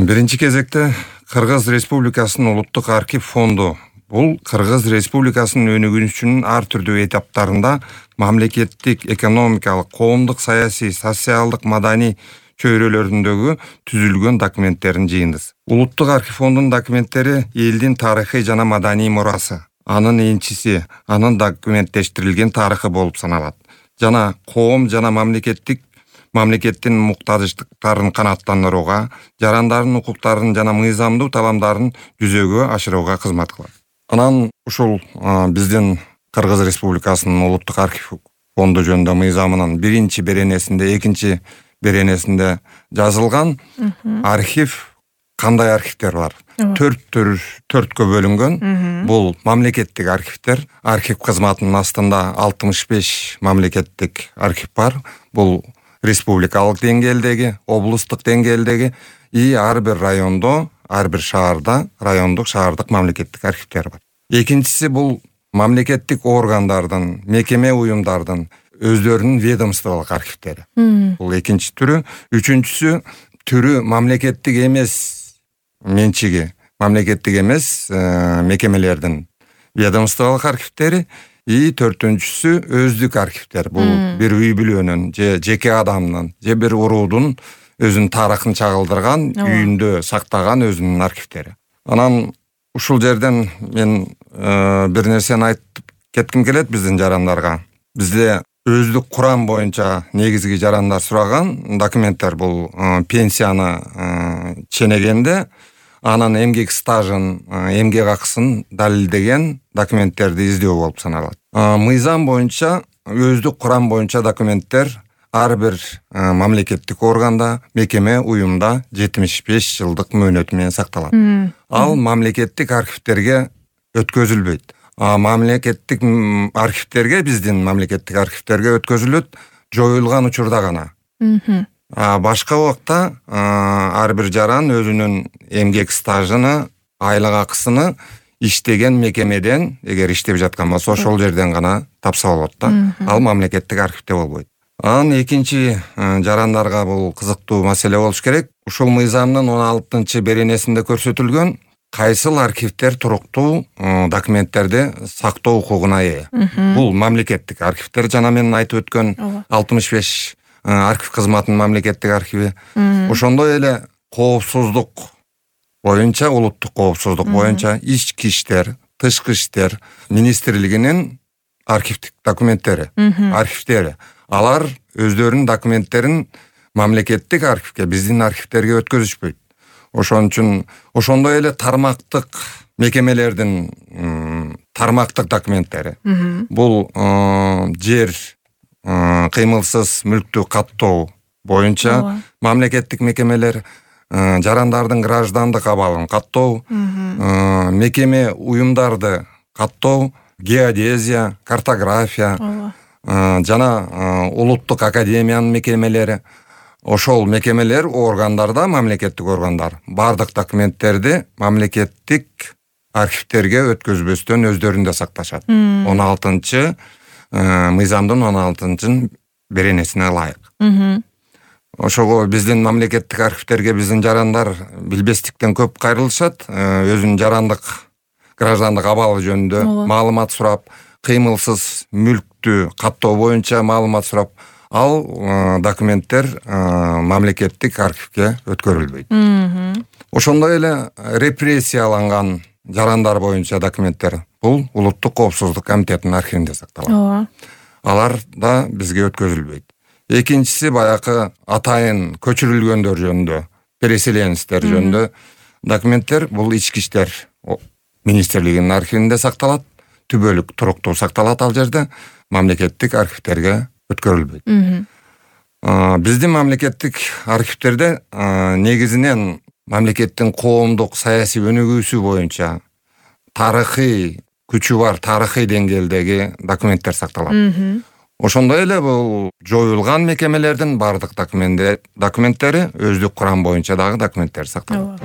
Биринчи кезекте Кыргыз Республикасынын улуттук архив фонду бул Кыргыз Республикасынын өнүгүүсүнүн ар түрдүү этаптарында мамлекеттик, экономикалык, коомдук, саясий, социалдык, маданий чөйрөлөрүндөгү түзүлгөн документтердин жыйындысы. Улуттук архив фондунун документтери элдин тарыхый жана маданий мурасы, анын энчиси, анын документтештирилген тарыхы болуп саналат. Жана коом жана мамлекеттин муктаждыктарын канааттандырууга, жарандардын укуктарын жана мыйзамдуу таламдарын жүзөгө ашырууга кызмат кылат. Анан ушул биздин Кыргыз Республикасынын улуттук архив фонду жөнүндө мыйзамынын биринчи беренесинде, экинчи беренесинде жазылган архив кандай архивдер бар? Төрткө бөлүнгөн. Бул мамлекеттик архивдер, архив кызматынын астында 65 мамлекеттик архив бар. Бул республикалык деңгээлдеги, облустук деңгээлдеги ар бир райондо, ар бир шаарда райондук, шаардык мамлекеттик архивдер бар. Экинчиси бул мамлекеттик органдардын, мекеме уюмдардын өздөрүнүн ведомстволук архивдери. Бул экинчи түрү. Үчүнчүсү түрү мамлекеттик эмес менчиги, мамлекеттик эмес мекемелердин ведомстволук архивдери. Төртүнчүсү өздүк архивдер. Бул бир үй бүлөнүн же жеке адамдын же бир уруудун өзүнүн тарыхын чагылдырган, үйүндө сактаган өзүнүн архивдери. Анан ушул жерден мен бир нерсени айтып кетким келет биздин жарандарга. Бизде өздүк курам боюнча негизги жарандар сураган документтер бул пенсияны ченегенде анын эмгек стажын, эмгек акысын далилдеген документтерди издөө болуп саналат. Мыйзам боюнча, өздүк курам боюнча документтер ар бир мамлекеттик органда, мекеме, уюмда 75 жылдык мөөнөт менен сакталат. Ал мамлекеттик архивдерге өткөзүлбөйт. Мамлекеттик архивдерге, биздин мамлекеттик архивдерге өткөзүлөт жоюлган учурда гана. Башка убакта ар бир жаран өзүнүн эмгек стажыны, айлык акысыны иштеген мекемеден, эгер иштеп жаткан болсо, ошол жерден гана тапса болот да. Ал мамлекеттик архивде болбойт. Анан экинчи жарандарга бул кызыктуу маселе болуш керек. Ушул мыйзамдын 16 беренесинде көрсөтүлгөн кайсыл архивдер туруктуу документтерди сактоо укугуна ээ. Бул мамлекеттик архивдер, жана мен айтып өткөн 65 архив кызматынын мамлекеттик архиви. Ошондой эле коопсуздук боюнча, улуттук коопсуздук боюнча ички иштер, тышкы иштер министрлигинин архивдик документтери, архивдери. Алар өздөрүнүн документтерин мамлекеттик архивге, биздин архивдерге өткөзүшпөйт. Ошон үчүн ошондой эле тармактык мекемелердин тармактык документтери. Бул жер кыймылсыз мүлктү каттоо боюнча мамлекеттик мекемелер, жарандардын граждандык абалын каттоо, мекеме уюмдарды каттоо, геодезия, картография жана улуттук академиянын мекемелери. Ошол мекемелер, органдарда, мамлекеттик органдар бардык документтерди мамлекеттик архивдерге өткөзбөстөн өздөрүндө сакташат. 16 мыйзамдын 16 беренесине ылайык. Ошого биздин мамлекеттик архивдерге биздин жарандар билбестиктен көп кайрылышат. Өзүнүн жарандык, граждандык абалы жөнүндө маалымат сурап, кыймылсыз мүлктү каттоо боюнча маалымат сурап, ал документтер мамлекеттик архивге өткөрүлбөйт. Ошондой эле репрессияланган жарандар боюнча документтер бул улуттук коопсуздук комитетинин архивинде сакталат. Алар да бизге өткөзүлбөйт. Экинчиси баягы атайын көчүрүлгөндөр жөнүндө, переселенецтер жөнүндө документтер бул ички иштер министрлигинин архивинде сакталат. Түбөлүк туруктуу сакталат ал жерде, мамлекеттик архивдерге өткөрүлбөйт. Биздин мамлекеттик архивдерде негизинен мамлекеттин коомдук саясий өнүгүүсү боюнча тарыхый күчү бар, тарыхый деңгээлдеги документтер сакталат. Ошондой эле бул жоюлган мекемелердин бардык документтери, өздүк курам боюнча дагы документтер сакталат.